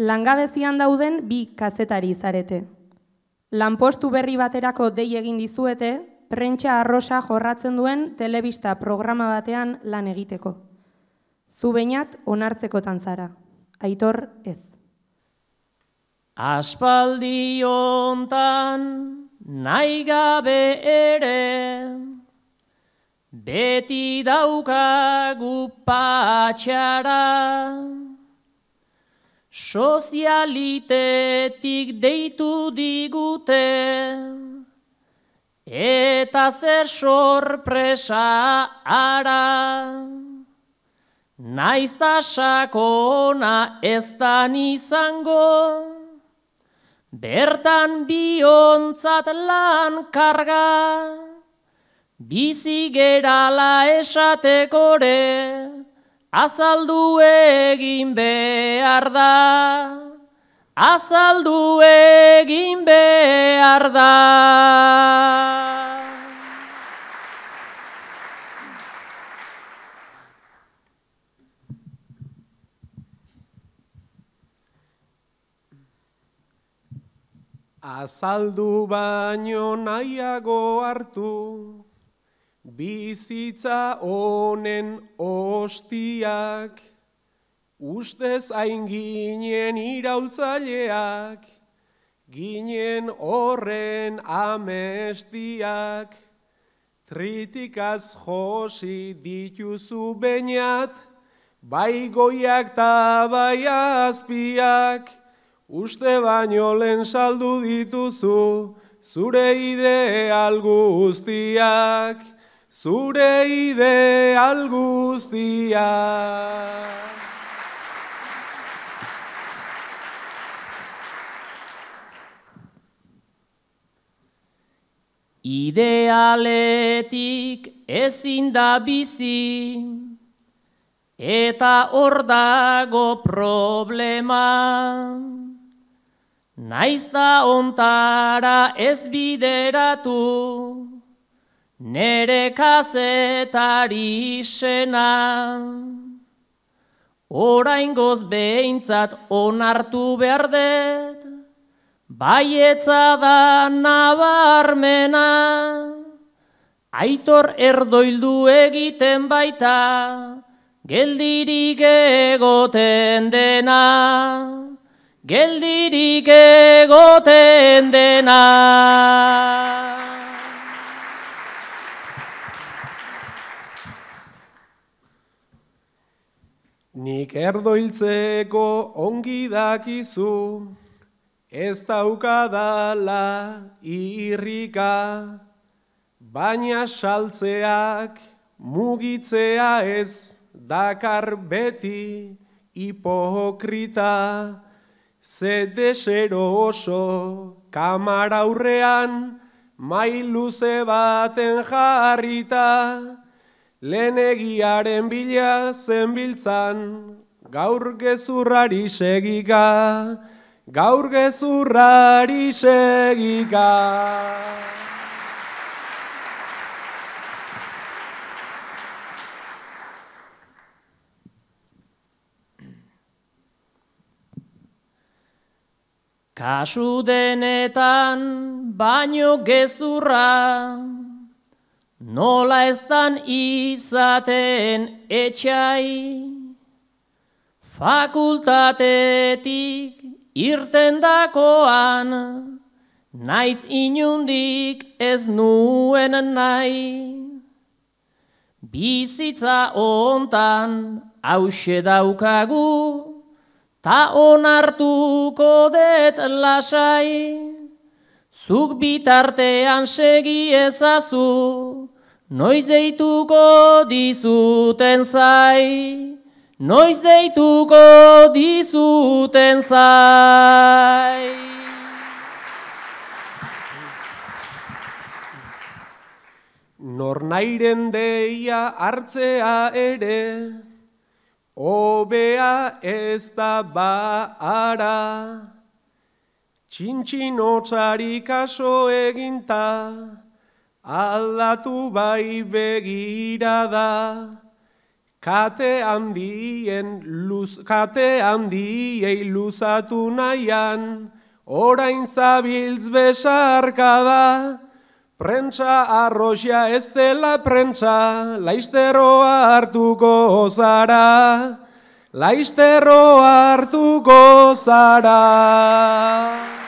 Langabezian dauden bi kazetari zarete. Lanpostu berri baterako dei egin dizuete, prentsa arrosa jorratzen duen telebista programa batean lan egiteko. Zu behinat onartzekotan zara, Aitor ez. Aspaldi hontan nahi gabe ere, beti daukagu patxara, sozialitetik deitu digute, eta zer sorpresa ara. Naizta sakona ez dan izango, bertan biontzat lan karga, bizi gerala esatekore, azaldu egin behar da, azaldu egin behar da. Azaldu baino nahiago hartu, bizitza honen ostiak, ustez hain ginen iraultzaileak, ginen horren amestiak, tritikaz josi dituzu beñat, bai goiak ta bai azpiak, uste baino lehen saldu dituzu, zure ideal guztiak, zure ideal guztiak. Idealetik ezin da bizi, eta hor dago problema. Naizta ontara ez bideratu, nere kazetari sena. Oraingoz behintzat onartu behar dut, baietza da nabarmena. Aitor erdoildu egiten baita, geldirik egoten dena. Geldirik egoten dena. Nik erdoiltzeko ongi dakizu, ez daukadala irrika, baina saltzeak mugitzea ez dakar beti hipokrita. Ze desero oso kamara aurrean, mai luze baten jarrita, lehenegiaren bila zenbiltzan, gaur gezurrari segika, gaur gezurrari segika. Kasu denetan baino gezurra, nola eztan izaten etxai, fakultatetik irten dakoan, naiz inundik ez nuen nahi. Bizitza hontan hauxe daukagu, ta onartuko det lasai, zuk bitartean segi ezazu, noiz deituko dizuten zai, noiz deituko dizuten zai. Nornairen deia hartzea ere, hobea ez da ba ara, txintxinotsari kaso eginta, aldatu bai begirada, kate handiei luzatu nahian, orain zabiltz besarkada, prentsa arroxia ez dela prentsa, laisteroa hartuko zara, laisteroa hartuko zara.